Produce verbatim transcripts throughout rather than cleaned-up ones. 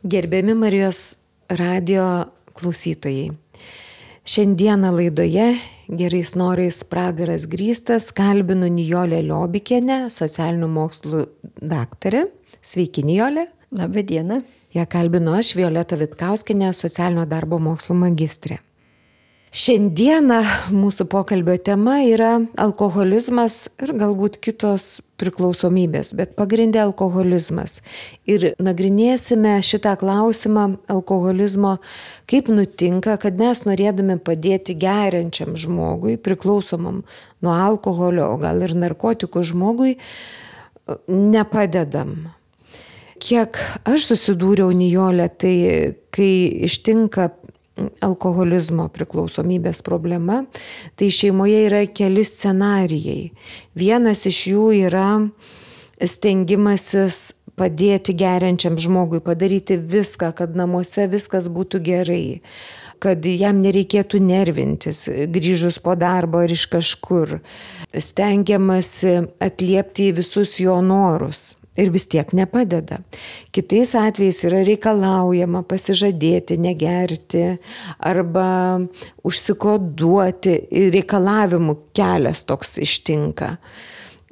Gerbiami Marijos radio klausytojai. Šiandieną laidoje Gerais norais pragaras grįstas kalbinu Nijolę Liobikienę, socialinių mokslų daktarę. Sveiki, Nijolė. Labą dieną. Ja kalbinu aš, Violeta Vitkauskienė, socialinio darbo mokslų magistrė. Šiandieną mūsų pokalbio tema yra alkoholizmas ir galbūt kitos priklausomybės, bet pagrindė alkoholizmas. Ir nagrinėsime šitą klausimą alkoholizmo, kaip nutinka, kad mes norėdami padėti geriančiam žmogui, priklausomam nuo alkoholio, o gal ir narkotikų žmogui, nepadedam. Kiek aš susidūriau, Nijolė, tai kai ištinka alkoholizmo priklausomybės problema, tai šeimoje yra keli scenarijai. Vienas iš jų yra stengimasis padėti geriančiam žmogui, padaryti viską, kad namuose viskas būtų gerai, kad jam nereikėtų nervintis, grįžus po darbo ar iš kažkur. Stengiamasi atliepti į visus jo norus. Ir vis tiek nepadeda. Kitais atvejais yra reikalaujama pasižadėti, negerti arba užsikoduoti. Reikalavimų kelias toks ištinka.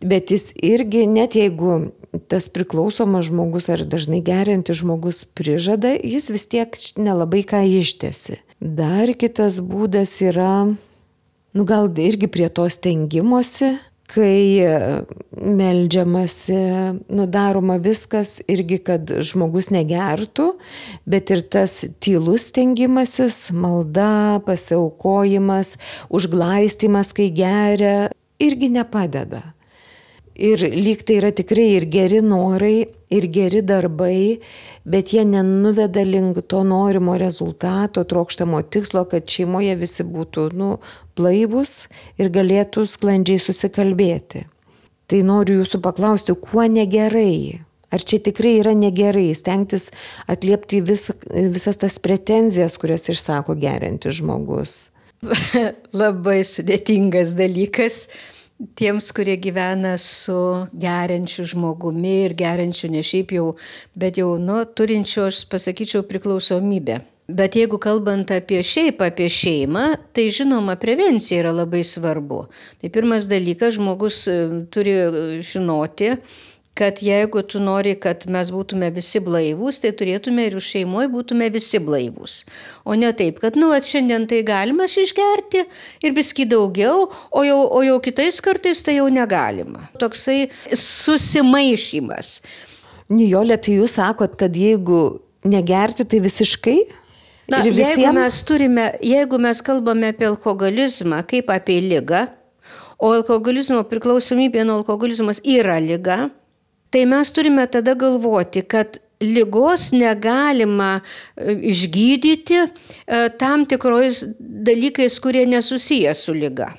Bet jis irgi, net jeigu tas priklausomas žmogus ar dažnai geriantis žmogus prižada, jis vis tiek nelabai ką ištesi. Dar kitas būdas yra, nu gal irgi prie to stengimosi, kai meldžiamasi, nudaroma viskas irgi, kad žmogus negertų, bet ir tas tylus stengimasis, malda, pasiaukojimas, užglaistymas, kai geria, irgi nepadeda. Ir lyg tai yra tikrai ir geri norai, ir geri darbai, bet jie nenuveda link to norimo rezultato, trokštamo tikslo, kad šeimoje visi būtų nu, blaivūs ir galėtų sklandžiai susikalbėti. Tai noriu jūsų paklausti, kuo negerai? Ar čia tikrai yra negerai stengtis atliepti vis, visas tas pretenzijas, kurias išsako geriantis žmogus? Labai sudėtingas dalykas. Tiems, kurie gyvena su geriančiu žmogumi ir geriančiu ne šiaip jau, bet jau nu, turinčiu, aš pasakyčiau, priklausomybę. Bet jeigu kalbant apie šiaip, apie šeimą, tai žinoma, prevencija yra labai svarbu. Tai pirmas dalykas, žmogus turi žinoti, kad jeigu tu nori, kad mes būtume visi blaivūs, tai turėtume ir šeimoje būtume visi blaivūs. O ne taip, kad nu, šiandien tai galima išgerti ir biskį daugiau, o jau, o jau kitais kartais tai jau negalima. Toksai susimaišymas. Nijolė, tai jūs sakot, kad jeigu negerti, tai visiškai? Na, jeigu mes turime, jeigu mes kalbame apie alkoholizmą kaip apie ligą, o alkoholizmo priklausomybė nuo alkoholizmas yra liga, tai mes turime tada galvoti, kad ligos negalima išgydyti tam tikrais dalykais, kurie nesusiję su liga.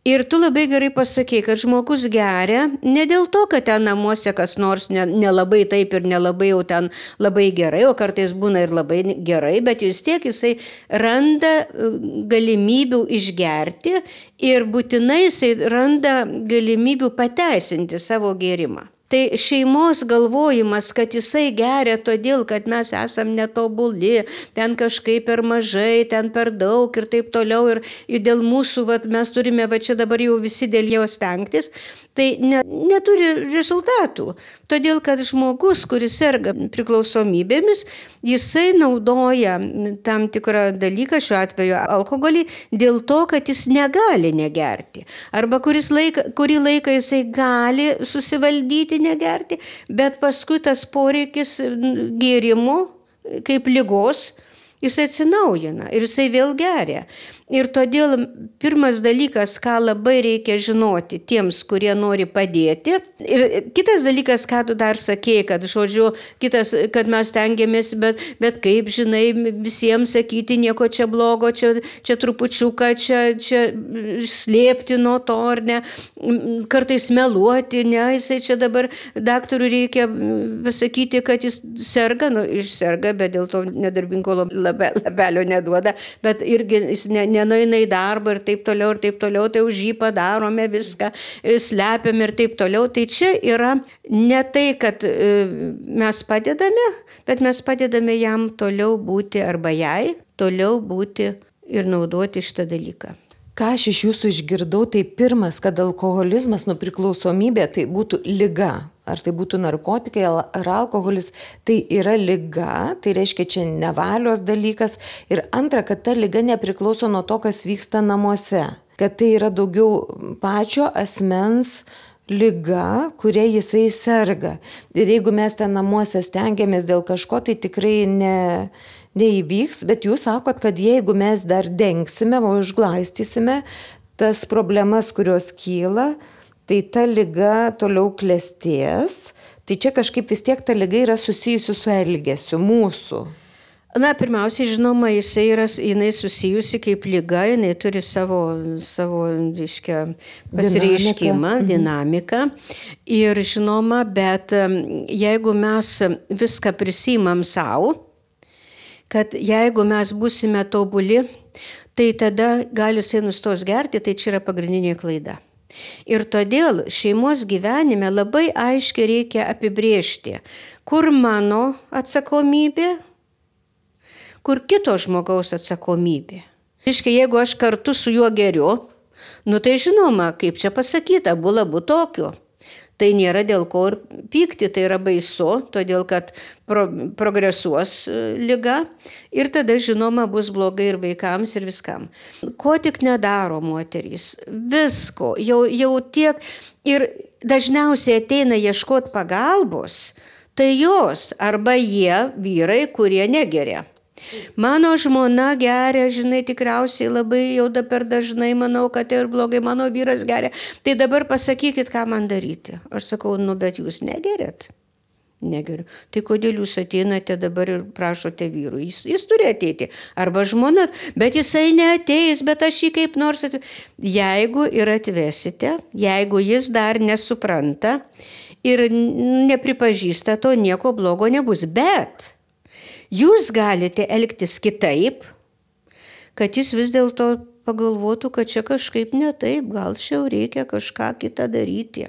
Ir tu labai gerai pasakei, kad žmogus geria ne dėl to, kad ten namuose kas nors nelabai ne taip ir nelabai jau ten labai gerai, o kartais būna ir labai gerai, bet vis tiek jisai randa galimybių išgerti ir būtinai jisai randa galimybių pateisinti savo gėrimą. Tai šeimos galvojimas, kad jisai geria todėl, kad mes esam netobuli, ten kažkaip per mažai, ten per daug ir taip toliau, ir, ir dėl mūsų, vat, mes turime, va čia dabar jau visi dėl jo stengtis, tai ne, neturi rezultatų. Todėl, kad žmogus, kuris serga priklausomybėmis, jisai naudoja tam tikrą dalyką, šiuo atveju alkoholį, dėl to, kad jis negali negerti. Arba kuris laik, kurį laiką jisai gali susivaldyti negerti, bet paskui tas poreikis gėrimų kaip ligos, jis atsinaujina ir jisai vėl geria. Ir todėl pirmas dalykas, ką labai reikia žinoti tiems, kurie nori padėti. Ir kitas dalykas, ką tu dar sakėjai, kad žodžiu, kitas, kad mes tengiamės, bet, bet kaip žinai, visiems sakyti nieko čia blogo, čia, čia trupučiuką, čia, čia slėpti nuo to, ar ne, kartais meluoti, ne, jisai čia dabar daktarui reikia pasakyti, kad jis serga, nu, išserga, bet dėl to nedarbingo lapelio neduoda, bet irgi jis nenueina į darbą ir taip toliau, ir taip toliau, tai už jį padarome viską, slepiam ir taip toliau. Tai čia yra ne tai, kad mes padedame, bet mes padedame jam toliau būti arba jai toliau būti ir naudoti šitą dalyką. Ką aš iš jūsų išgirdau, tai pirmas, kad alkoholizmas, nu priklausomybė, tai būtų liga. Ar tai būtų narkotikai ar alkoholis, tai yra liga, tai reiškia čia nevalios dalykas. Ir antra, kad ta liga nepriklauso nuo to, kas vyksta namuose. Kad tai yra daugiau pačio asmens liga, kuria jisai serga. Ir jeigu mes ten namuose stengiamės dėl kažko, tai tikrai ne... neįvyks, bet jūs sakot, kad jeigu mes dar dengsime, o užglaistysime tas problemas, kurios kyla, tai ta liga toliau klestės. Tai čia kažkaip vis tiek ta liga yra susijusi su elgesiu mūsų. Na, pirmiausiai, žinoma, jisai yra, jinai susijusi kaip liga, jinai turi savo, savo reiškia, pasireiškimą, dinamiką. dinamiką. Ir žinoma, bet jeigu mes viską prisimam savo, kad jeigu mes būsime tobuli, tai tada gali jisai nustos gerti, tai čia yra pagrindinė klaida. Ir todėl šeimos gyvenime labai aiškiai reikia apibrėžti, kur mano atsakomybė, kur kito žmogaus atsakomybė. Reiškia, jeigu aš kartu su juo geriu, nu tai žinoma, kaip čia pasakyta, bula būt tokiu. Tai nėra dėl ko ir pykti, tai yra baisu, todėl kad pro, progresuos liga ir tada, žinoma, bus blogai ir vaikams ir viskam. Ko tik nedaro moterys, visko, jau, jau tiek ir dažniausiai ateina ieškoti pagalbos, tai jos arba jie vyrai, kurie negeria. Mano žmona geria, žinai, tikriausiai labai jau da per dažnai, manau, kad tai ir blogai, mano vyras geria. Tai dabar pasakykit, ką man daryti. Aš sakau, nu, bet jūs negeriat. Negeriu. Tai kodėl jūs ateinate dabar ir prašote vyrų? Jis, jis turi ateiti. Arba žmona, bet jisai neateis, bet aš jį kaip nors atveju. Jeigu ir atvesite, jeigu jis dar nesupranta ir nepripažįsta, to nieko blogo nebus. Bet jūs galite elgtis kitaip, kad jis vis dėlto pagalvotų, kad čia kažkaip ne taip, gal čia reikia kažką kitą daryti.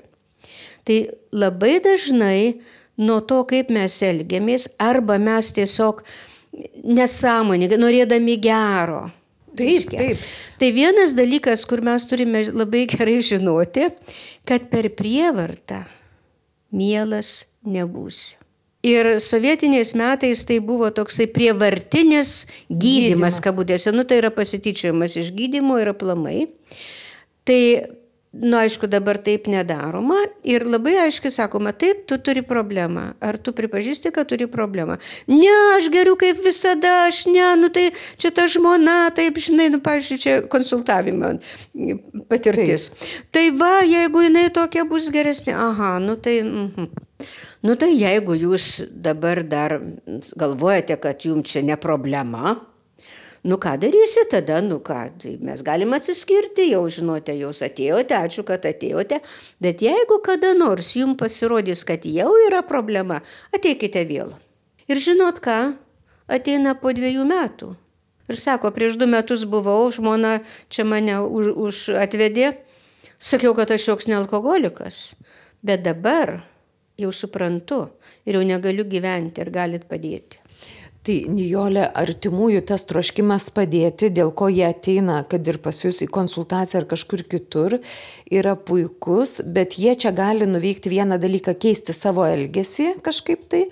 Tai labai dažnai nuo to, kaip mes elgiamės, arba mes tiesiog nesąmoningai, norėdami gero. Taip, taip. Tai vienas dalykas, kur mes turime labai gerai žinoti, kad per prievartą mielas nebūsi. Ir sovietiniais metais tai buvo toksai prievartinis gydymas, kabutėse. Nu, tai yra pasityčiojimas iš gydymo ir aplamai. Tai, nu, aišku, dabar taip nedaroma. Ir labai aiškiai sakoma, taip, tu turi problemą. Ar tu pripažįsti, kad turi problemą? Ne, aš geriu kaip visada, aš ne, nu tai čia ta žmona, taip, žinai, nu, pavyzdžiui, čia konsultavimo patirtis. Taip. Tai va, jeigu jinai tokia bus geresnė, aha, nu tai... Mhm. Nu tai jeigu jūs dabar dar galvojate, kad jums čia ne problema, nu ką darysi tada, nu ką, tai mes galim atsiskirti, jau žinote, jūs atėjote, ačiū, kad atėjote, bet jeigu kada nors jums pasirodys, kad jau yra problema, ateikite vėl. Ir žinot ką, ateina po dviejų metų. Ir sako, prieš du metus buvau, žmona čia mane už, už atvedė, sakiau, kad aš joks ne alkoholikas, bet dabar jau suprantu ir jau negaliu gyventi ir galit padėti. Tai, Nijolė, artimųjų tas troškimas padėti, dėl ko jie ateina, kad ir pas jūs į konsultaciją ar kažkur kitur, yra puikus, bet jie čia gali nuveikti vieną dalyką, keisti savo elgesį kažkaip tai,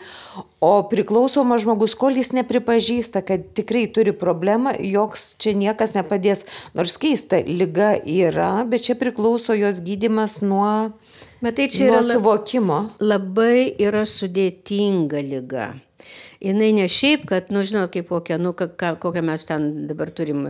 o priklausomas žmogus, kol jis nepripažįsta, kad tikrai turi problemą, joks čia niekas nepadės, nors keista, liga yra, bet čia priklauso jos gydymas nuo... Bet tai čia yra suvokimo. Labai yra sudėtinga liga. Jinai ne šiaip, kad, nu, žinot, kaip kokią, nu, kokią mes ten dabar turim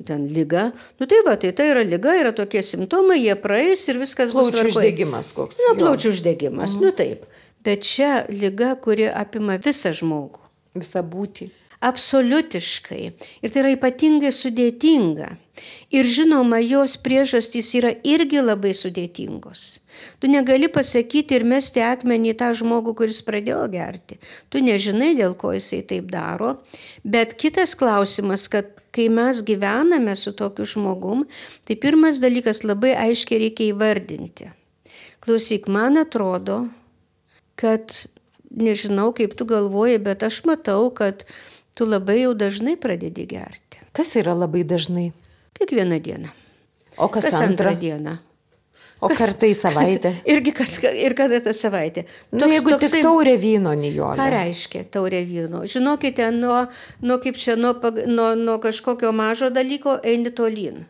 ten ligą. Nu, tai va, tai tai yra liga, yra tokie simptomai, jie praeis ir viskas bus tvarkoje. Plaučių uždegimas koks. Na, plaučių uždegimas, mhm. Nu taip. Bet čia liga, kuri apima visą žmogų. Visą būtį. absoliutiškai. Ir tai yra ypatingai sudėtinga. Ir žinoma, jos priežastys yra irgi labai sudėtingos. Tu negali pasakyti ir mesti akmenį į tą žmogų, kuris pradėjo gerti. Tu nežinai, dėl ko jisai taip daro. Bet kitas klausimas, kad kai mes gyvename su tokiu žmogum, tai pirmas dalykas labai aiškiai reikia įvardinti. Klausyk, man atrodo, kad nežinau, kaip tu galvoji, bet aš matau, kad tu labai jau dažnai pradedi gerti. Kas yra labai dažnai? Kiekvieną dieną. O kas, kas antrą? antrą dieną? O kas, kartą į savaitę? Kas, irgi kas, ir kada tą savaitę. Nu, toks, jeigu toksai, tik taurė vyno, Nijolė. Ką reiškia taurė vyno? Žinokite, nuo, nuo, kaip čia, nuo, nuo, nuo kažkokio mažo dalyko eini tolyn.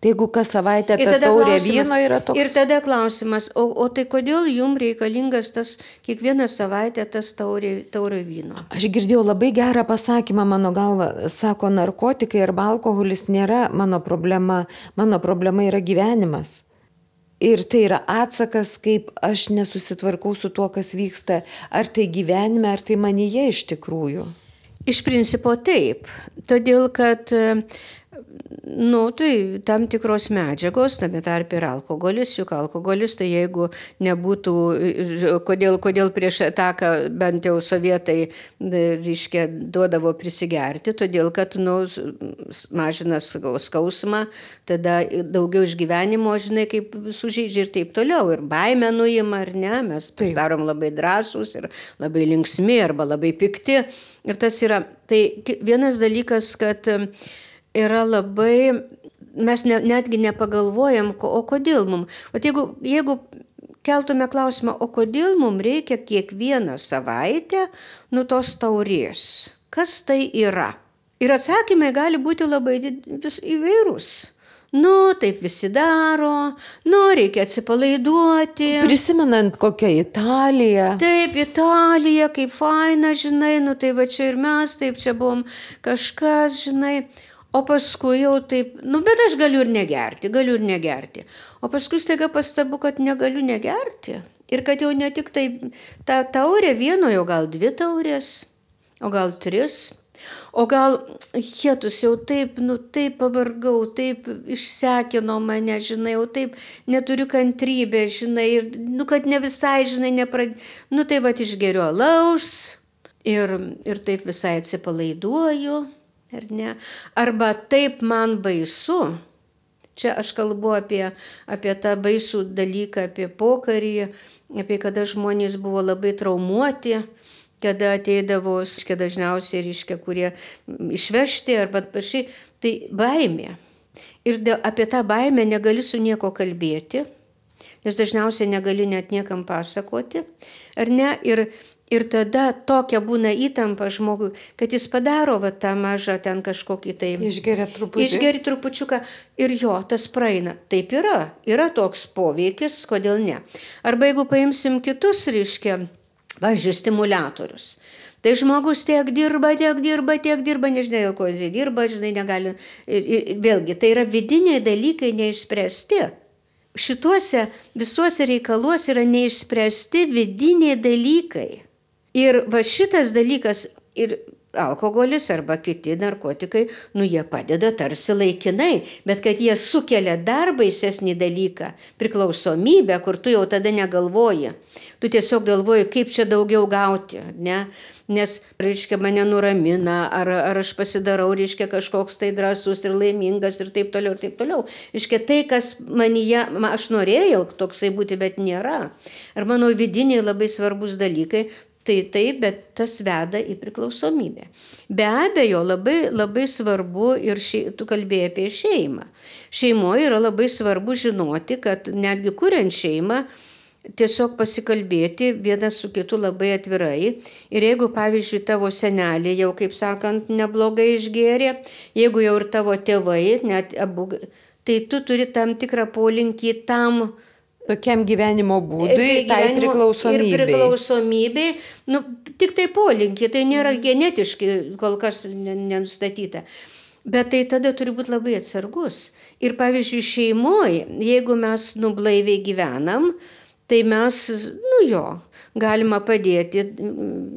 Tai jeigu kas savaitę ta taurė vyno yra toks... Ir tada klausimas, o, o tai kodėl jums reikalingas tas kiekvieną savaitę tas taurė, taurė vyno? Aš girdėjau labai gerą pasakymą, mano galva, sako, narkotikai arba alkoholis nėra mano problema, mano problema yra gyvenimas. Ir tai yra atsakas, kaip aš nesusitvarkau su tuo, kas vyksta, ar tai gyvenime, ar tai manyje iš tikrųjų. Iš principo taip, todėl kad... Nu, tai tam tikros medžiagos, tame tarp ir alkoholis, juk alkoholis, tai jeigu nebūtų, kodėl, kodėl prieš ataką bent jau sovietai, reiškia, duodavo prisigerti, todėl kad, nu, mažina skausmą, tada daugiau išgyvenimo, žinai, kaip sužeidžia ir taip toliau, ir baimę nuima, ar ne, mes pasidarom labai drąsūs ir labai linksmi arba labai pikti. Ir tas yra, tai vienas dalykas, kad yra labai, mes ne, netgi nepagalvojam, o kodėl mums. O jeigu, jeigu keltume klausimą, o kodėl mums reikia kiekvieną savaitę nu tos taurės? Kas tai yra? Ir atsakymai gali būti labai vis įvairūs. Nu, taip visi daro, nu, reikia atsipalaiduoti. Prisimenant kokią Italiją. Taip, Italija, kaip faina, žinai, nu tai va čia ir mes, taip čia buvom kažkas, žinai. O paskui jau taip, nu bet aš galiu ir negerti, galiu ir negerti. O paskui staiga pastabu, kad negaliu negerti. Ir kad jau ne tik tai ta taurė vieno, jau gal dvi taurės, o gal tris. O gal, jėtus, jau taip, nu taip pavargau, taip išsekino mane, žinai, jau taip neturiu kantrybę, žinai, ir, nu kad ne visai, žinai, neprad... Nu tai va išgeriu alaus ir, ir taip visai atsipalaiduoju. Ar ne? Arba taip man baisu, čia aš kalbu apie, apie tą baisų dalyką, apie pokarį, apie kada žmonės buvo labai traumuoti, kada ateidavo, reiškia, dažniausiai, reiškia, kurie išvežti arba pašiai, tai baimė. Ir apie tą baimę negali su nieko kalbėti, nes dažniausiai negali net niekam pasakoti, ar ne? Ir Ir tada tokia būna įtampa žmogui, kad jis padaro va, tą mažą ten kažkokį tai... Išgeria truputį. Išgeria trupučiuką ir jo, tas praeina. Taip yra. Yra toks poveikis, kodėl ne. Arba jeigu paimsim kitus, reiškia, važiuoju, stimuliatorius. Tai žmogus tiek dirba, tiek dirba, tiek dirba, nežinai, dėl ko jis dirba, žinai, negali... Ir, ir, vėlgi, tai yra vidiniai dalykai neišspręsti. Šituose visuose reikaluose yra neišspręsti vidiniai dalykai. Ir va šitas dalykas ir alkoholis arba kiti narkotikai, nu jie padeda tarsi laikinai, bet kad jie sukelia dar baisesnį dalyką, priklausomybę, kur tu jau tada negalvoji. Tu tiesiog galvoji, kaip čia daugiau gauti, ne? Nes, reiškia, mane nuramina, ar, ar aš pasidarau, reiškia, kažkoks tai drąsus ir laimingas ir taip toliau, ir taip toliau. Reiškia, tai, kas manyje, aš norėjau toksai būti, bet nėra. Ar mano vidiniai labai svarbus dalykai, tai taip, bet tas veda į priklausomybę. Be abejo, labai, labai svarbu ir ši, tu kalbėjai apie šeimą. Šeimoje yra labai svarbu žinoti, kad netgi kuriant šeimą, tiesiog pasikalbėti vienas su kitu labai atvirai. Ir jeigu, pavyzdžiui, tavo senelė jau, kaip sakant, neblogai išgėrė, jeigu jau ir tavo tėvai, net abu, tai tu turi tam tikrą polinkį tam, tokiam gyvenimo būdui, tai, tai priklausomybei. Ir priklausomybei, nu, tik tai polinkį, tai nėra genetiškai kol kas nenustatyta. Bet tai tada turi būti labai atsargus. Ir pavyzdžiui, šeimoje, jeigu mes nublaiviai gyvenam, tai mes, nu jo, galima padėti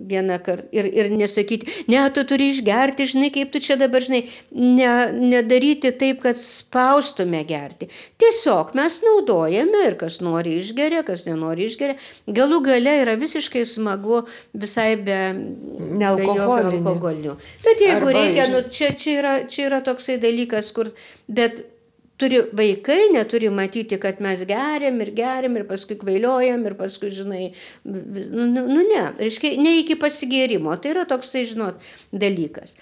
vieną kartą ir, ir nesakyti, ne, tu turi išgerti, žinai, kaip tu čia dabar, žinai, ne, nedaryti taip, kad spaustume gerti. Tiesiog mes naudojame ir kas nori išgeria, kas nenori išgeria. Galų gale yra visiškai smagu visai be, be jokio alkoholinių. Bet jeigu Arba reikia, nu, čia, čia, yra, čia yra toksai dalykas, kur, bet turi vaikai, neturi matyti, kad mes geriam ir geriam ir paskui kvailiojam ir paskui, žinai, nu, nu ne, reiškia, ne iki pasigėrimo. Tai yra toksai, žinot, dalykas.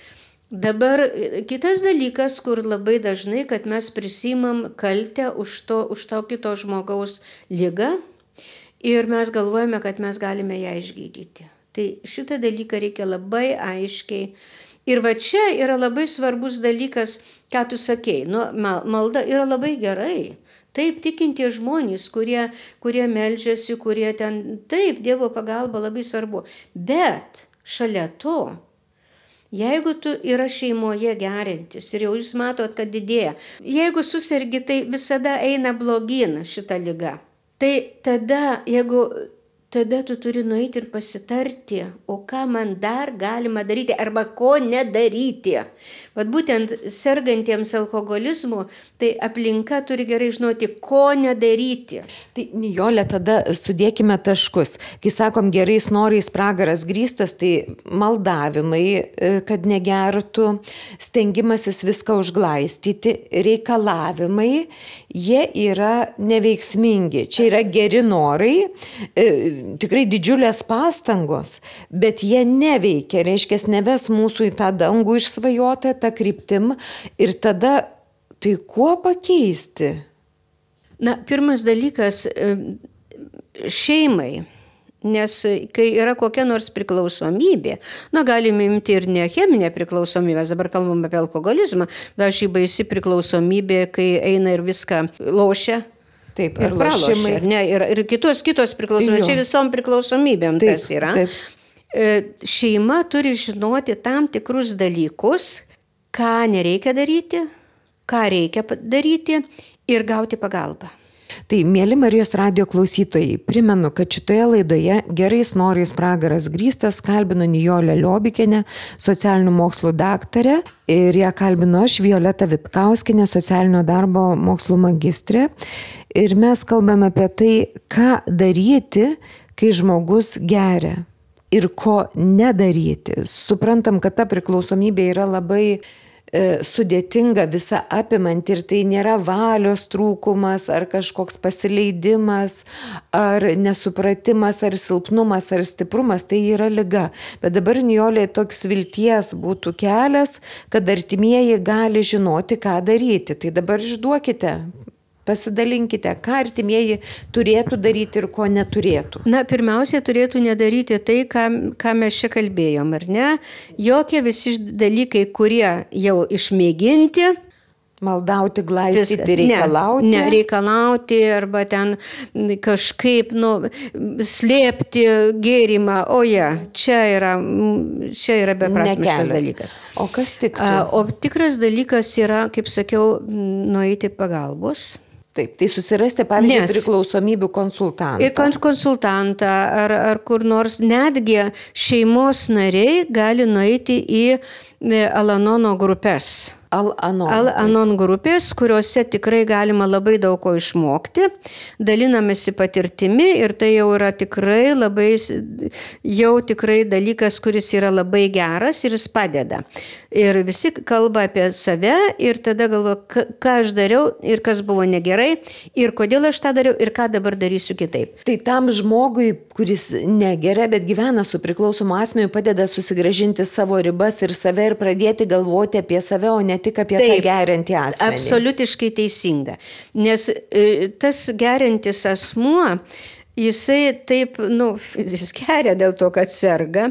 Dabar kitas dalykas, kur labai dažnai, kad mes prisimam kaltę už to, už to kito žmogaus ligą ir mes galvojame, kad mes galime ją išgydyti. Tai šitą dalyką reikia labai aiškiai. Ir va čia yra labai svarbus dalykas, ką tu sakei. Nu, malda yra labai gerai. Taip, tikintie žmonės, kurie, kurie meldžiasi, kurie ten, taip, Dievo pagalba labai svarbu. Bet šalia to, jeigu tu yra šeimoje gerintis ir jau jūs matot, kad didėja, jeigu susirgi, tai visada eina blogin šita liga. Tai tada, jeigu tada tu turi nueiti ir pasitarti, o ką man dar galima daryti arba ko nedaryti. Vat būtent sergantiems alkoholizmu, tai aplinka turi gerai žinoti, ko nedaryti. Tai Nijolė, tada sudėkime taškus. Kai sakom gerais norais pragaras grįstas, tai maldavimai, kad negertų, stengimasis viską užglaistyti, reikalavimai, jie yra neveiksmingi. Čia yra geri norai, tikrai didžiulės pastangos, bet jie neveikia, reiškia, neves mūsų į tą dangų išsvajotą, tą kryptim ir tada tai kuo pakeisti? Na, pirmas dalykas šeimai, nes kai yra kokia nors priklausomybė, na, galime imti ir ne cheminę priklausomybę, dabar kalbam apie alkoholizmą, bet ši baisi priklausomybė, kai eina ir viską lošia. Taip, ir pralošia, ar ne, ir, ir kitos, kitos priklausomybės, čia visom priklausomybėm taip, tas yra. Taip. Šeima turi žinoti tam tikrus dalykus, ką nereikia daryti, ką reikia daryti ir gauti pagalbą. Tai, mėly Marijos radijo klausytojai, primenu, kad šitoje laidoje gerais norais pragaras grįstas kalbinu Nijolę Liobikienę, socialinių mokslų daktarę, ir ją kalbinu aš, Violeta Vitkauskienė, socialinio darbo mokslų magistrė. Ir mes kalbame apie tai, ką daryti, kai žmogus geria ir ko nedaryti. Suprantam, kad ta priklausomybė yra labai sudėtinga, visa apimanti ir tai nėra valios trūkumas ar kažkoks pasileidimas ar nesupratimas ar silpnumas ar stiprumas, tai yra liga. Bet dabar, Nijolė, toks vilties būtų kelias, kad artimieji gali žinoti, ką daryti. Tai dabar išduokite, pasidalinkite, ką artimieji turėtų daryti ir ko neturėtų. Na, pirmiausia, turėtų nedaryti tai, ką, ką mes čia kalbėjom, ar ne? Jokie visi dalykai, kurie jau išmėginti. Maldauti, glaistyti, reikalauti. Ne, ne, reikalauti arba ten kažkaip, nu, slėpti gėrimą. O ja, čia yra, čia yra beprasmiškas dalykas. O kas tiktų? O tikras dalykas yra, kaip sakiau, nueiti pagalbos. Taip, tai susirasti, pavyzdžiui, Nes, priklausomybių konsultantą. Ir konsultantą, ar, ar kur nors netgi šeimos nariai gali nueiti į Al-Anono grupės. Al-Anon. Al-Anon grupės, kuriuose tikrai galima labai daug ko išmokti, dalinamasi patirtimi ir tai jau yra tikrai labai, jau tikrai dalykas, kuris yra labai geras ir jis padeda. Ir visi kalba apie save ir tada galvo, ką aš dariau ir kas buvo negerai ir kodėl aš tą dariau ir ką dabar darysiu kitaip. Tai tam žmogui, kuris negeria, bet gyvena su priklausomu asmeniu, padeda susigrąžinti savo ribas ir save ir pradėti galvoti apie save, o ne tik apie Taip, tą geriantį asmenį. Absoliutiškai teisinga. Nes e, tas geriantis asmuo, jisai taip, nu, jis geria dėl to, kad serga,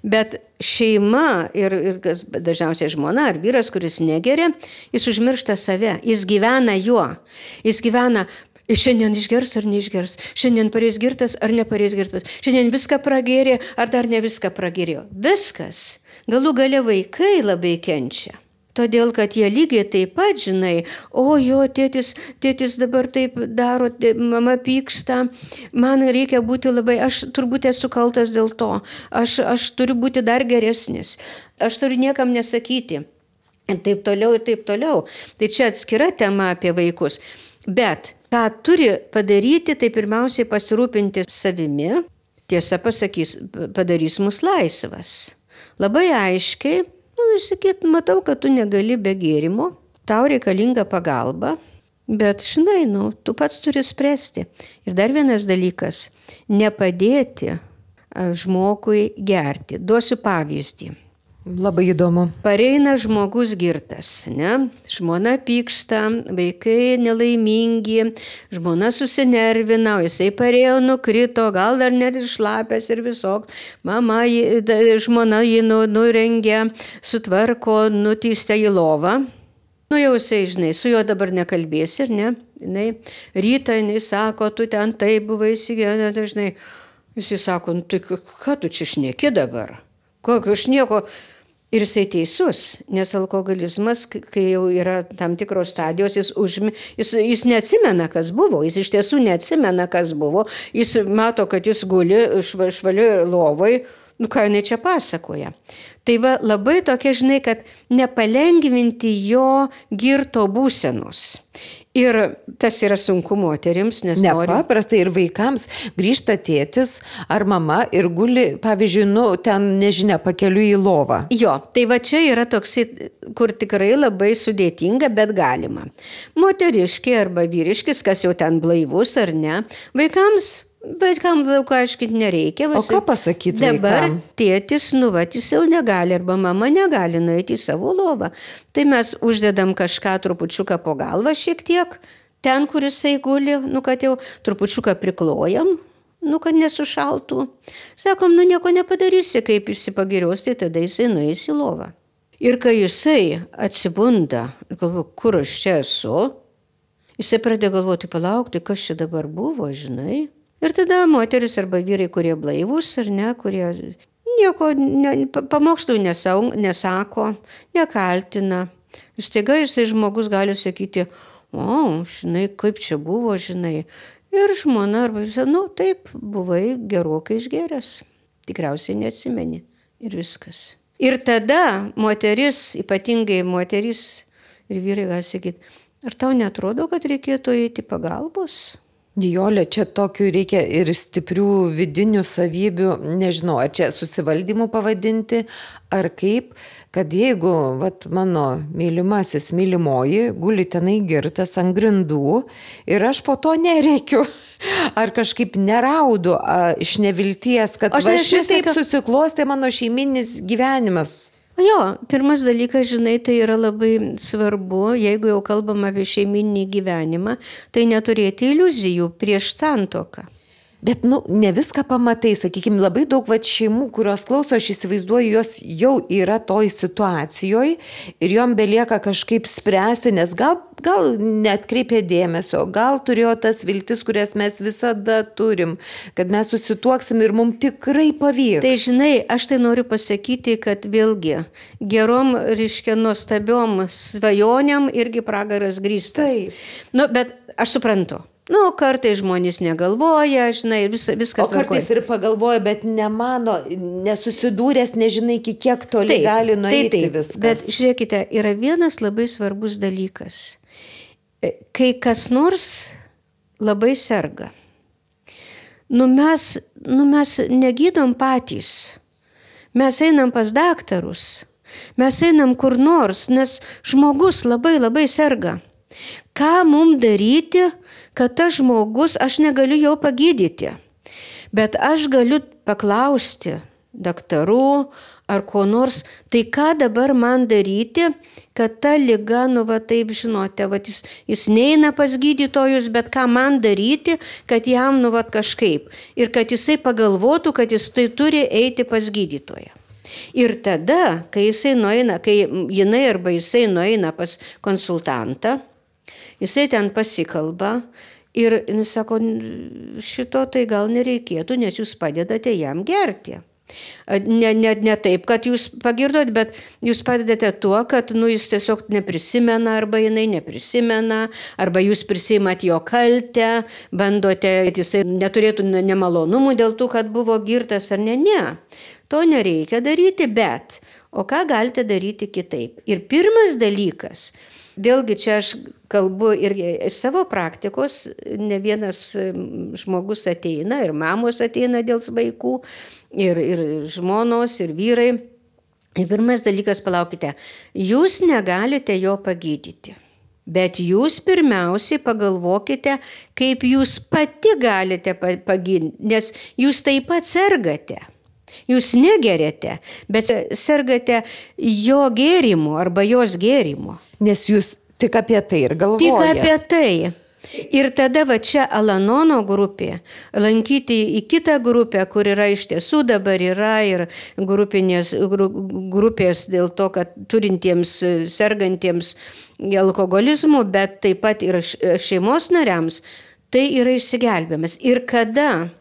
bet šeima ir, ir dažniausiai žmona ar vyras, kuris negeria, jis užmiršta save, jis gyvena juo, jis gyvena šiandien išgers ar neišgers, šiandien pareis girtas ar nepareis girtas, šiandien viską pragėrė ar dar ne viską pragėrėjo. Viskas. Galų gale vaikai labai kenčia. Todėl, kad jie lygiai taip pat, žinai, o jo, tėtis, tėtis dabar taip daro, tė, mama pyksta, man reikia būti labai, aš turbūt esu kaltas dėl to, aš, aš turiu būti dar geresnis, aš turiu niekam nesakyti. Ir taip toliau, ir taip toliau. Tai čia atskira tema apie vaikus. Bet ką turi padaryti, tai pirmiausiai pasirūpinti savimi, tiesa pasakys, padarys mus laisvas. Labai aiškiai, nu, sakyt, matau, kad tu negali be gėrimo, tau reikalinga pagalba, bet, žinai, nu, tu pats turi spręsti. Ir dar vienas dalykas, nepadėti žmogui gerti. Duosiu pavyzdį. Labai įdomu. Pareina žmogus girtas, ne? Žmona pyksta, vaikai nelaimingi, žmona susinervina, o jisai parėjo, nukrito, gal dar net išlapęs ir visok. Mama, žmona jį nurengia, sutvarko, nutįsta į lovą. Nu jau jisai, žinai, su juo dabar nekalbėsi, ir ne? Jinai, rytą jinai sako, tu ten taip buvai įsigėję, dažnai. Jisai sako, nu tai ką tu čia šneki dabar? Kokio aš nieko... Ir jisai teisus, nes alkoholizmas, kai jau yra tam tikros stadijos, jis, užmi, jis, jis neatsimena, kas buvo, jis iš tiesų neatsimena, kas buvo, jis mato, kad jis guli šva, švalioj lovoj, nu ką jinai čia pasakoja. Tai va labai tokia, žinai, kad nepalengvinti jo girto būsenos. Ir tas yra sunku moterims, nes nori... Nepaprastai ir vaikams grįžta tėtis ar mama ir guli, pavyzdžiui, nu, ten, nežinia, pakeliu į lovą. Jo, tai va čia yra toksai, kur tikrai labai sudėtinga, bet galima. Moteriški arba vyriškis, kas jau ten blaivus ar ne, vaikams... Vaikams daug aiškinti nereikia. O ką pasakyti dabar vaikam? Tėtis, nu, va, jis jau negali, arba mama negali nueiti į savo lovą. Tai mes uždedam kažką trupučiuką po galvą šiek tiek, ten, kur jisai guli, nu, kad jau trupučiuką priklojam, nu, kad nesušaltų. Sakom, nu, nieko nepadarysi, kaip išsipagirios, tai tada jisai nueis į lovą. Ir kai jisai atsibunda, galvo, kur aš čia esu, jisai pradėjo galvoti, palaukti, kas čia dabar buvo, žinai. Ir tada moteris arba vyrai, kurie blaivus ar ne, kurie nieko, ne, pamokslų nesako, nekaltina. Ir staiga jisai žmogus gali sakyti, o, žinai, kaip čia buvo, žinai. Ir žmona arba jisai, nu, taip, buvai gerokai išgeręs. Tikriausiai neatsimeni. Ir viskas. Ir tada moteris, ypatingai moteris ir vyrai gali sakyti, ar tau netrodo, kad reikėtų eiti pagalbos? Nijolė, čia tokių reikia ir stiprių vidinių savybių, nežinau, ar čia susivaldymų pavadinti, ar kaip, kad jeigu vat, mano mylimasis, mylimoji, guli tenai girtas ant grindų ir aš po to nereikiu, ar kažkaip neraudu a, iš nevilties, kad va šitaip nesaka... susiklostė mano šeiminis gyvenimas. Jo, pirmas dalykas, žinai, tai yra labai svarbu, jeigu jau kalbam apie šeiminį gyvenimą, tai neturėti iliuzijų prieš santuoką. Bet, nu, ne viską pamatai, sakykime, labai daug va, šeimų, kurios klauso, aš įsivaizduoju, jos jau yra toj situacijoje ir jom belieka kažkaip spręsti, nes gal, gal neatkreipė dėmesio, gal turėjo tas viltis, kurias mes visada turim, kad mes susituoksim ir mums tikrai pavyks. Tai žinai, aš tai noriu pasakyti, kad vėlgi gerom, reiškia, nuostabiom svajonėm irgi pragaras grįstas. Taip. Nu, bet aš suprantu. Nu, kartais žmonės negalvoja, žinai, vis, viskas. O kartais varkoja. Ir pagalvoja, bet nemano, nesusidūręs, nežinai, kiek toli taip, gali nueiti taip, taip. Viskas. Bet žiūrėkite, yra vienas labai svarbus dalykas. Kai kas nors labai serga, nu mes, nu mes negydom patys, mes einam pas daktarus, mes einam kur nors, nes žmogus labai labai serga. Ką mums daryti, kad tas žmogus, aš negaliu jo pagydyti, bet aš galiu paklausti daktarų ar ko nors, tai ką dabar man daryti, kad ta liga, nu va taip žinote, va, jis, jis neina pas gydytojus, bet ką man daryti, kad jam, nu va kažkaip, ir kad jisai pagalvotų, kad jis tai turi eiti pas gydytoją. Ir tada, kai jisai nueina, kai jinai arba jisai nueina pas konsultantą, jisai ten pasikalba ir jis sako, šito tai gal nereikėtų, nes jūs padedate jam gerti. Ne, ne, ne taip, kad jūs pagirdot, bet jūs padedate tuo, kad nu, jis tiesiog neprisimena arba jinai neprisimena, arba jūs prisimat jo kaltę, bandote, kad jisai neturėtų nemalonumų dėl to, kad buvo girtas ar ne. Ne, to nereikia daryti, bet o ką galite daryti kitaip? Ir pirmas dalykas, vėlgi čia aš kalbu ir iš savo praktikos, ne vienas žmogus ateina ir mamos ateina dėl vaikų, ir, ir žmonos, ir vyrai. Ir pirmas dalykas, palaukite, jūs negalite jo pagydyti, bet jūs pirmiausiai pagalvokite, kaip jūs pati galite pagydyti, nes jūs taip pat sergate. Jūs negeriate, bet sergate jo gėrimu arba jos gėrimu. Nes jūs tik apie tai ir galvojate. Tik apie tai. Ir tada va čia Al-Anono grupė, lankyti į kitą grupę, kur yra iš tiesų dabar yra ir grupinės, gru, grupės dėl to, kad turintiems, sergantiems alkoholizmu, bet taip pat ir šeimos nariams, tai yra išsigelbėjimas. Ir kada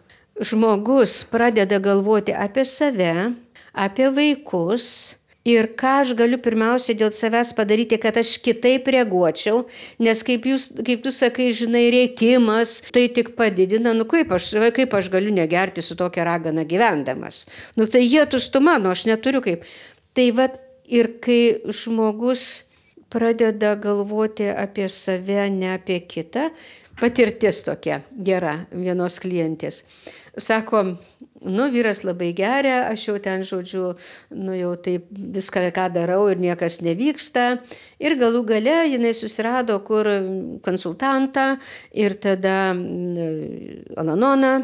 žmogus pradeda galvoti apie save, apie vaikus ir ką aš galiu pirmiausia dėl savęs padaryti, kad aš kitaip reaguočiau, nes kaip, jūs, kaip tu sakai, žinai, rėkimas, tai tik padidina, nu kaip aš, kaip aš galiu negerti su tokia ragana gyvendamas. Nu tai jie tu mano, aš neturiu kaip. Tai va ir kai žmogus pradeda galvoti apie save, ne apie kitą, patirtis tokia gera vienos klientės. Sako, nu vyras labai geria, aš jau ten, žodžiu, nu jau taip viską, ką darau ir niekas nevyksta. Ir galų gale jinai susirado kur konsultantą ir tada Al-Anoną.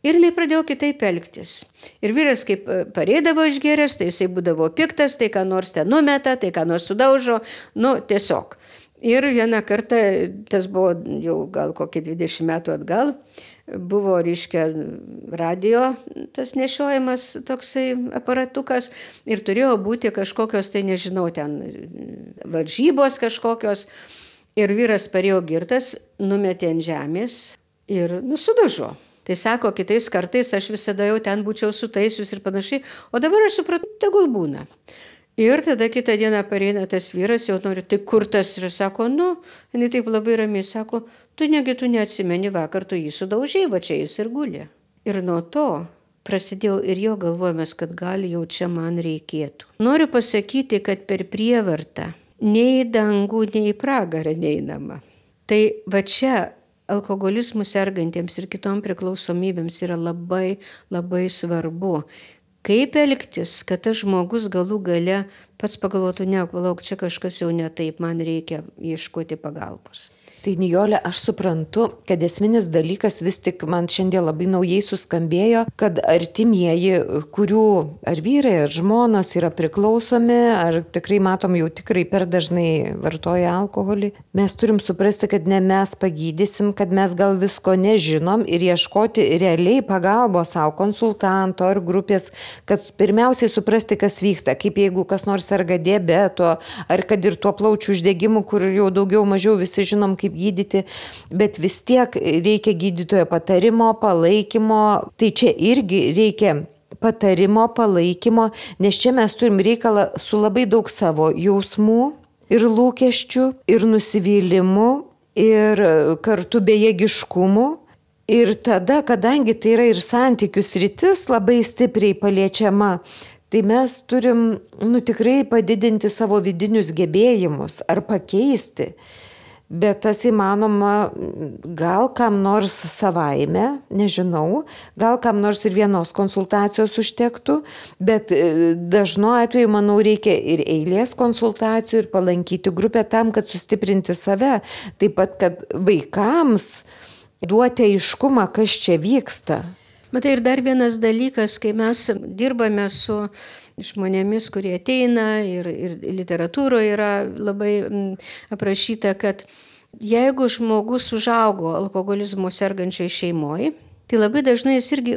Ir jinai pradėjo kitaip elgtis. Ir vyras kaip pareidavo išgėręs, tai jisai būdavo piktas, tai ką nors ten numeta, tai ką nors sudaužo, nu tiesiog. Ir vieną kartą, tas buvo jau gal kokį dvidešimt metų atgal, buvo, reiškia, radio tas nešiojimas toksai aparatukas ir turėjo būti kažkokios, tai nežinau, ten varžybos kažkokios. Ir vyras parėjo girtas, numetė ant žemės ir nusudužo. Tai sako, kitais kartais aš visada jau ten būčiau sutaisius ir panašiai, o dabar aš supratau, tegul būna. Ir tada kitą dieną pareina tas vyras, jau nori, tai kur tas? Ir sako, nu, jinai taip labai ramiai sako, tu negi tu neatsimeni, vakar tu jį sudaužei, va čia jis ir guli. Ir nuo to prasidėjo ir jo galvojimas, kad gal jau čia man reikėtų. Noriu pasakyti, kad per prievartą nei į dangų, nei į pragarą neinama. Tai va čia alkoholizmu sergantiems ir kitom priklausomybėms yra labai, labai svarbu. Kaip elgtis, kad tas žmogus galų gale pats pagalvotų, ne, palauk, čia kažkas jau ne taip, man reikia ieškoti pagalbos. Tai Nijole, aš suprantu, kad esminis dalykas vis tik man šiandien labai naujai suskambėjo, kad artimieji, kurių ar vyrai, ar žmonos yra priklausomi, ar tikrai matom jau tikrai per dažnai vartoja alkoholį, mes turim suprasti, kad ne mes pagydysim, kad mes gal visko nežinom ir ieškoti realiai pagalbos savo konsultanto ar grupės, kad pirmiausiai suprasti, kas vyksta, kaip jeigu kas nors serga diabeto, ar kad ir tuo plaučių uždegimu, kur jau daugiau mažiau visi žinom, kaip gydyti, bet vis tiek reikia gydytojo patarimo, palaikymo. Tai čia irgi reikia patarimo, palaikymo, nes čia mes turim reikalą su labai daug savo jausmų ir lūkesčių, ir nusivylimų, ir kartu bejėgiškumų. Ir tada, kadangi tai yra ir santykių sritis labai stipriai paliečiama, tai mes turim, nu, tikrai padidinti savo vidinius gebėjimus ar pakeisti. Bet tas įmanoma gal kam nors savaime, nežinau, gal kam nors ir vienos konsultacijos užtektų, bet dažnu atveju, manau, reikia ir eilės konsultacijų ir palankyti grupę tam, kad sustiprinti save. Taip pat, kad vaikams duoti aiškumą, kas čia vyksta. Matai, ir dar vienas dalykas, kai mes dirbame su žmonėmis, kurie ateina ir, ir literatūroje yra labai aprašyta, kad jeigu žmogus užaugo alkoholizmu sergančioj šeimoje, tai labai dažnai jis irgi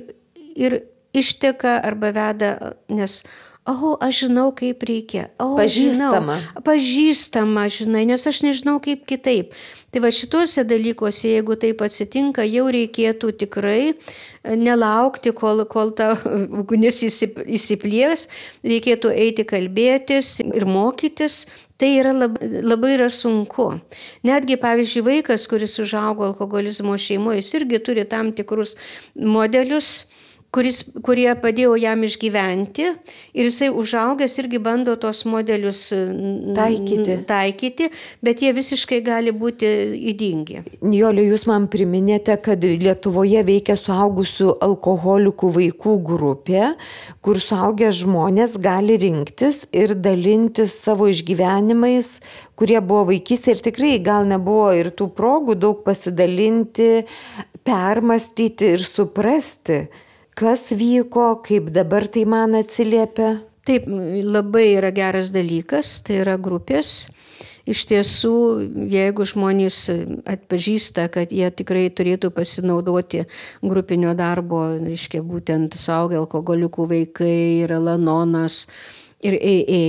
ir išteka arba veda, nes O, aš žinau, kaip reikia. O, Pažįstama. Žinau, pažįstama, žinai, nes aš nežinau, kaip kitaip. Tai va šituose dalykuose, jeigu taip atsitinka, jau reikėtų tikrai nelaukti, kol, kol ta ugnis įsiplies, reikėtų eiti kalbėtis ir mokytis. Tai yra labai, labai yra sunku. Netgi, pavyzdžiui, vaikas, kuris užaugo alkoholizmo šeimoje, jis irgi turi tam tikrus modelius, Kuris, kurie padėjo jam išgyventi ir jisai užaugęs irgi bando tos modelius taikyti, taikyti bet jie visiškai gali būti ydingi. Nijole, jūs man priminėte, kad Lietuvoje veikia suaugusių alkoholikų vaikų grupė, kur suaugę žmonės gali rinktis ir dalintis savo išgyvenimais, kurie buvo vaikystėje ir tikrai gal nebuvo ir tų progų daug pasidalinti, permastyti ir suprasti, kas vyko, kaip dabar tai man atsiliepia? Taip, labai yra geras dalykas, tai yra grupės. Iš tiesų, jeigu žmonės atpažįsta, kad jie tikrai turėtų pasinaudoti grupinio darbo, reiškia būtent suaugę alkoholikų vaikai ir Al-Anonas ir A A,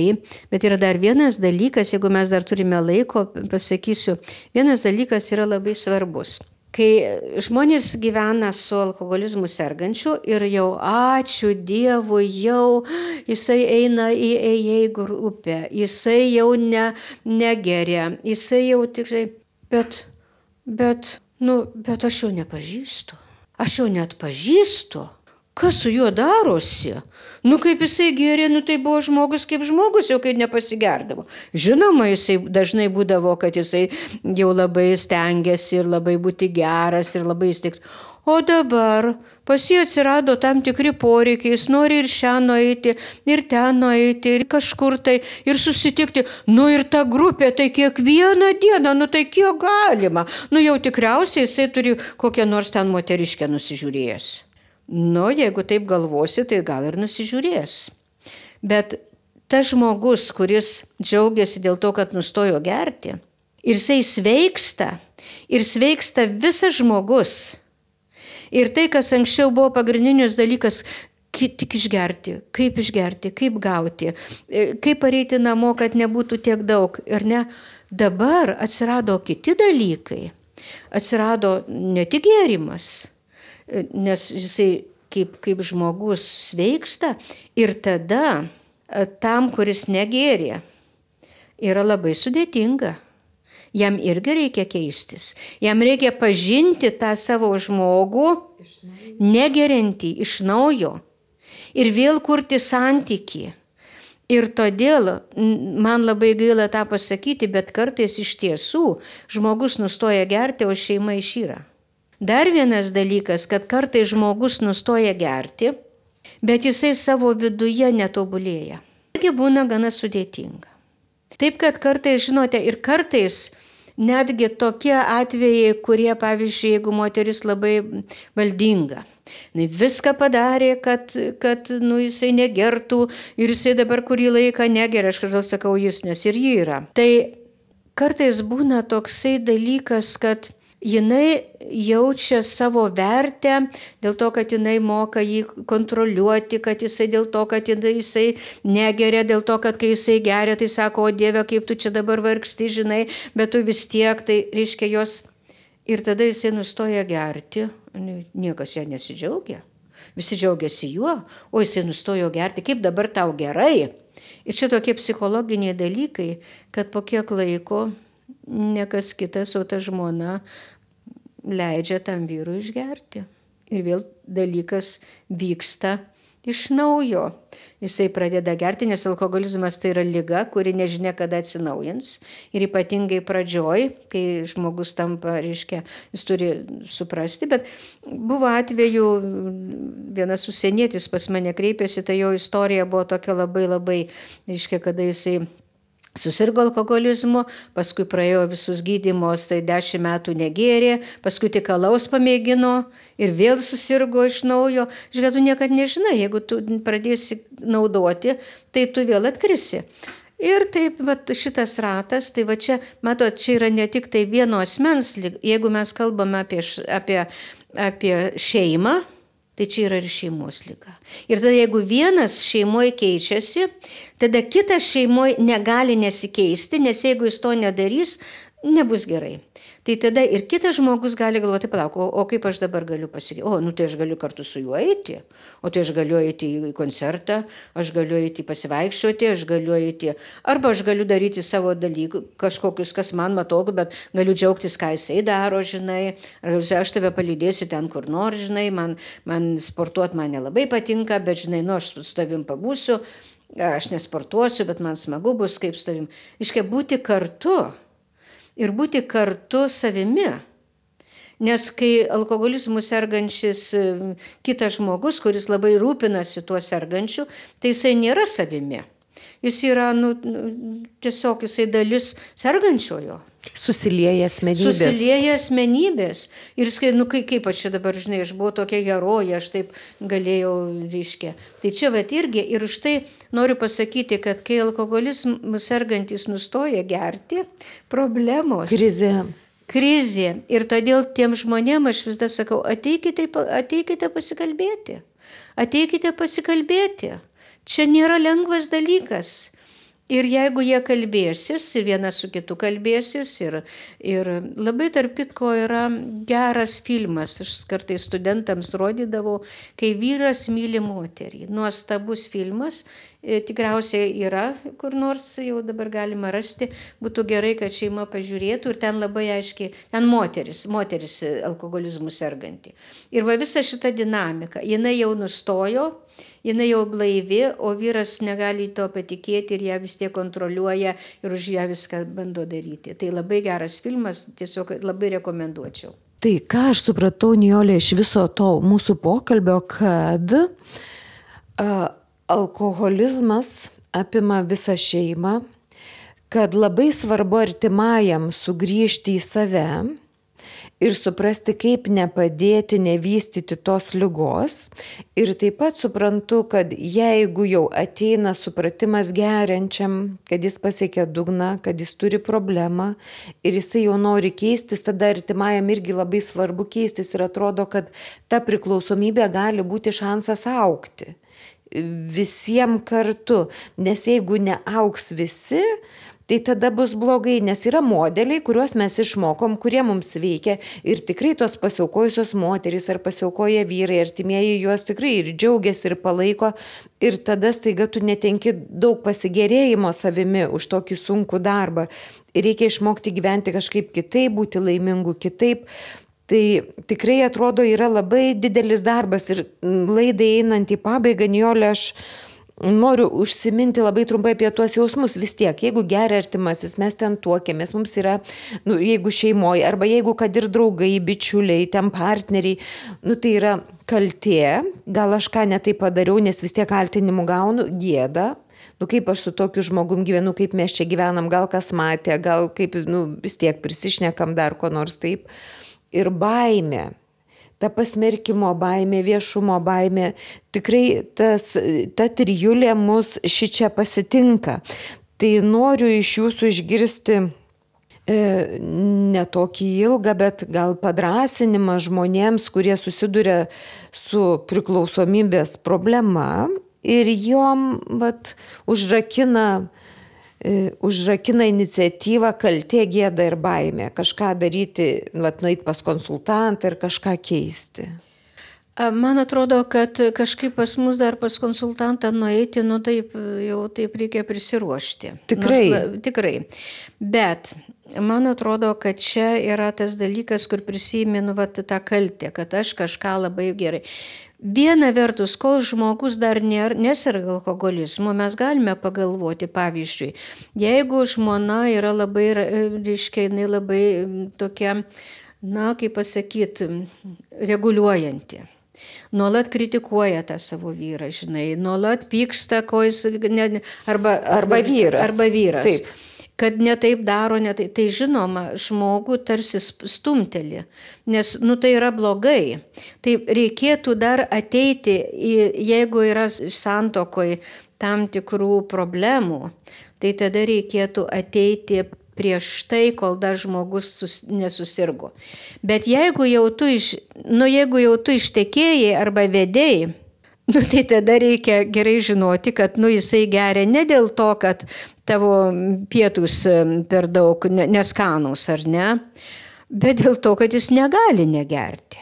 bet yra dar vienas dalykas, jeigu mes dar turime laiko, pasakysiu, vienas dalykas yra labai svarbus. Kai žmonės gyvena su alkoholizmu sergančiu ir jau ačiū Dievui, jau jisai eina į A A grupę, jisai jau ne, negeria, jisai jau tikrai, bet, bet, nu, bet aš jo nepažįstu, aš jo net pažįstu. Kas su juo darosi? Nu, kaip jisai gėrė, nu, tai buvo žmogus kaip žmogus, jau kai nepasigerdavo. Žinoma, jisai dažnai būdavo, kad jisai jau labai stengiasi ir labai būti geras ir labai įsteigti. O dabar pas jį atsirado tam tikri poreikiai, jis nori ir šią nueiti, ir ten nueiti, ir kažkur tai, ir susitikti. Nu ir ta grupė, tai kiekvieną dieną, nu tai kiek galima. Nu jau tikriausiai jisai turi kokią nors ten moteriškę nusižiūrėjęs. Nu, jeigu taip galvosi, tai gal ir nusižiūrės. Bet tas žmogus, kuris džiaugiasi dėl to, kad nustojo gerti, ir jisai sveiksta, ir sveiksta visas žmogus. Ir tai, kas anksčiau buvo pagrindinis dalykas, tik išgerti, kaip išgerti, kaip gauti, kaip pareiti namo, kad nebūtų tiek daug. Ir ne, dabar atsirado kiti dalykai. Atsirado ne tik gėrimas, nes jisai kaip, kaip žmogus sveiksta ir tada tam, kuris negėrė, yra labai sudėtinga. Jam irgi reikia keistis. Jam reikia pažinti tą savo žmogų, negeriantį iš naujo ir vėl kurti santykį. Ir todėl man labai gaila tą pasakyti, bet kartais iš tiesų žmogus nustoja gerti, o šeima išyra. Dar vienas dalykas, kad kartais žmogus nustoja gerti, bet jisai savo viduje netobulėja. Irgi būna gana sudėtinga. Taip, kad kartais, žinote, ir kartais netgi tokie atvejai, kurie, pavyzdžiui, jeigu moteris labai valdinga, viską padarė, kad, kad nu, jisai negertų ir jisai dabar kurį laiką negeria, aš kažkaip sakau jis, nes ir ji yra. Tai kartais būna toksai dalykas, kad jinai jaučia savo vertę dėl to, kad jinai moka jį kontroliuoti, kad jisai dėl to, kad jisai negeria, dėl to, kad kai jisai geria, tai sako, o Dieve, kaip tu čia dabar vargsti, žinai, bet tu vis tiek, tai reiškia jos. Ir tada jisai nustoja gerti, niekas ją nesidžiaugia, visi džiaugiasi juo, o jisai nustojo gerti, kaip dabar tau gerai. Ir čia tokie psichologiniai dalykai, kad po kiek laiko ne kas kitas, o ta žmona leidžia tam vyrui išgerti. Ir vėl dalykas vyksta iš naujo. Jisai pradeda gerti, nes alkoholizmas tai yra liga, kuri nežinia kada atsinaujins. Ir ypatingai pradžioj, kai žmogus tampa, reiškia, jis turi suprasti. Bet buvo atveju, vienas užsienietis pas mane kreipėsi, tai jo istorija buvo tokia labai labai, reiškia, kada jisai susirgo alkoholizmu, paskui praėjo visus gydymus, tai dešimt metų negėrė, paskui tik alaus pamėgino ir vėl susirgo iš naujo. Žiūrėk, tu niekad nežinai, jeigu tu pradėsi naudoti, tai tu vėl atkrisi. Ir taip, va, šitas ratas, tai va čia, matot, čia yra ne tik tai vieno asmens, jeigu mes kalbame apie, apie, apie šeimą, tai čia yra ir šeimos liga. Ir tada jeigu vienas šeimoje keičiasi, tada kitas šeimoje negali nesikeisti, nes jeigu jis to nedarys, nebus gerai. Tai tada ir kitas žmogus gali galvoti, palauk, o, o kaip aš dabar galiu pasakyti, o, nu tai aš galiu kartu su juo eiti, o tai aš galiu eiti į koncertą, aš galiu eiti pasivaikščioti, aš galiu eiti, arba aš galiu daryti savo dalykų, kažkokius, kas man matogu, bet galiu džiaugtis, ką jisai daro, žinai, ar aš tave palydėsiu ten, kur nors, žinai, man, man sportuoti man nelabai patinka, bet, žinai, nu, aš su tavim pabūsiu, aš nesportuosiu, bet man smagu bus kaip su tavim. Iškia, būti kartu. Ir būti kartu savimi. Nes kai alkoholizmu sergančis kitas žmogus, kuris labai rūpinasi tuo sergančiu, tai jisai nėra savimi. Jis yra, nu, tiesiog jisai dalis sergančiojo. Susilieja asmenybės. Susilieja asmenybės. Ir jis, nu, kaip, kaip aš čia dabar, žinai, aš buvau tokia herojė, aš taip galėjau, reiškia. Tai čia vat irgi, ir už tai noriu pasakyti, kad kai alkoholizmu sergantis nustoja gerti, problemos. Krizė. Krizė. Ir todėl tiem žmonėm aš vis dar sakau, ateikite, ateikite pasikalbėti. Ateikite pasikalbėti. Čia nėra lengvas dalykas. Ir jeigu jie kalbėsis, vienas su kitu kalbėsis, ir, ir labai tarp kitko yra geras filmas, aš kartais studentams rodydavau, kai vyras myli moterį. Nuostabus filmas, tikriausiai yra, kur nors jau dabar galima rasti, būtų gerai, kad šeima pažiūrėtų ir ten labai aiškiai, ten moteris, moteris alkoholizmu serganti. Ir va visa šita dinamika, jinai jau nustojo, jinai jau blaivi, o vyras negali to patikėti ir ją vis tiek kontroliuoja ir už ją viską bando daryti. Tai labai geras filmas, tiesiog labai rekomenduočiau. Tai ką aš supratau, Nijolė, iš viso to mūsų pokalbio, kad uh, alkoholizmas apima visą šeimą, kad labai svarbu artimajam sugrįžti į save ir suprasti, kaip nepadėti, nevystyti tos ligos. Ir taip pat suprantu, kad jeigu jau ateina supratimas geriančiam, kad jis pasiekia dugną, kad jis turi problemą ir jisai jau nori keistis, tada artimajam irgi labai svarbu keistis ir atrodo, kad ta priklausomybė gali būti šansas augti. Visiems kartu, nes jeigu neaugs visi, tai tada bus blogai, nes yra modeliai, kuriuos mes išmokom, kurie mums veikia ir tikrai tos pasiaukojusios moterys ar pasiaukoja vyrai, artimieji juos tikrai ir džiaugiasi ir palaiko ir tada staiga tu netenki daug pasigėrėjimo savimi už tokį sunkų darbą ir reikia išmokti gyventi kažkaip kitaip, būti laimingu kitaip. Tai tikrai atrodo yra labai didelis darbas ir laidai einant į pabaigą, Nijolė, aš noriu užsiminti labai trumpai apie tuos jausmus. Vis tiek, jeigu geria artimasis, mes ten tuokėmės, mums yra, nu, jeigu šeimoje, arba jeigu kad ir draugai, bičiuliai, ten partneriai, nu, tai yra kaltė, gal aš ką netai padariau, nes vis tiek kaltinimų gaunu, gėda. Nu, kaip aš su tokiu žmogum gyvenu, kaip mes čia gyvenam, gal kas matė, gal kaip, nu, vis tiek prisišnekam dar ko nors taip. Ir baimė. Ta pasmerkimo baimė, viešumo baimė, tikrai tas, ta trijulė mus šičia pasitinka. Tai noriu iš jūsų išgirsti e, ne tokį ilgą, bet gal padrąsinimą žmonėms, kurie susiduria su priklausomybės problema ir jom vat, užrakina užrakina iniciatyvą kaltė, gėda ir baimė. Kažką daryti, vat, nueiti pas konsultantą ir kažką keisti. Man atrodo, kad kažkaip pas mus dar pas konsultantą nueiti, nu taip, jau taip reikia prisiruošti. Tikrai. Nors, tikrai. Bet man atrodo, kad čia yra tas dalykas, kur prisimenu vat, tą kaltę, kad aš kažką labai gerai. Viena vertus, kol žmogus dar neserga alkoholizmu, mes galime pagalvoti, pavyzdžiui, jeigu žmona yra labai, reiškia, jinai labai tokia, na, kaip pasakyti, reguliuojanti. Nuolat kritikuoja tą savo vyrą, žinai, nuolat pyksta, ko jis, ne, arba, arba vyras. Arba vyras. Taip. Kad netaip daro, netaip, tai žinoma, žmogų tarsi stumteli, nes, nu, tai yra blogai. Tai reikėtų dar ateiti, į, jeigu yra santuokoj tam tikrų problemų, tai tada reikėtų ateiti prieš tai, kol dar žmogus sus, nesusirgo. Bet jeigu jau tu, iš, nu, jeigu jau tu ištekėjai arba vedėjai, nu, tai tada reikia gerai žinoti, kad nu, jisai geria ne dėl to, kad tavo pietus per daug neskanus ar ne, bet dėl to, kad jis negali negerti.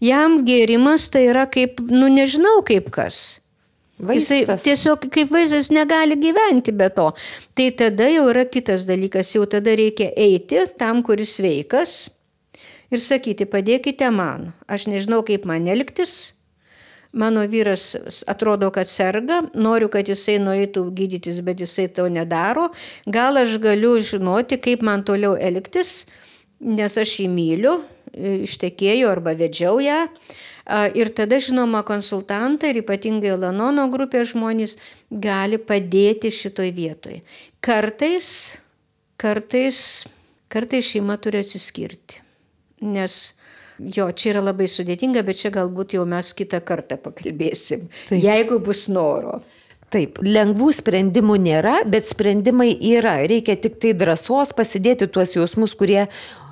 Jam gėrimas tai yra kaip, nu nežinau kaip kas. Vaistas. Jisai tiesiog kaip vaistas negali gyventi be to. Tai tada jau yra kitas dalykas, jau tada reikia eiti tam, kuris sveikas ir sakyti, padėkite man, aš nežinau kaip man elgtis, mano vyras atrodo, kad serga, noriu, kad jisai nueitų gydytis, bet jisai to nedaro, gal aš galiu žinoti, kaip man toliau elgtis, nes aš jį myliu, ištekėjau arba vedžiau ją. Ir tada, žinoma, konsultantai ir ypatingai Al-Anono grupės žmonės gali padėti šitoj vietoj. Kartais, kartais, kartais šeima turi atsiskirti, nes jo, čia yra labai sudėtinga, bet čia galbūt jau mes kitą kartą pakalbėsim, Taip. Jeigu bus noro. Taip, lengvų sprendimų nėra, bet sprendimai yra. Reikia tik tai drąsos pasidėti tuos jausmus, kurie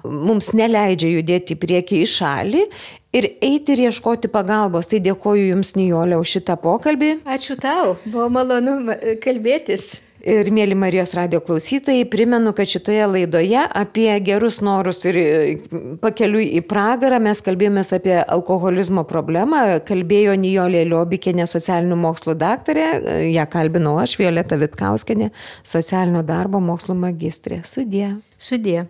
mums neleidžia judėti į priekį į šalį ir eiti ir ieškoti pagalbos. Tai dėkoju Jums, Nijolė, už šitą pokalbį. Ačiū tau, buvo malonu kalbėtis. Ir mėly Marijos radijo klausytojai, primenu, kad šitoje laidoje apie gerus norus ir pakeliui į pragarą mes kalbėjomės apie alkoholizmo problemą. Kalbėjo Nijolė Liobikienė, socialinių mokslų daktarė, ją kalbinau aš, Violeta Vitkauskienė, socialinio darbo mokslų magistrė. Sudie. Sudie.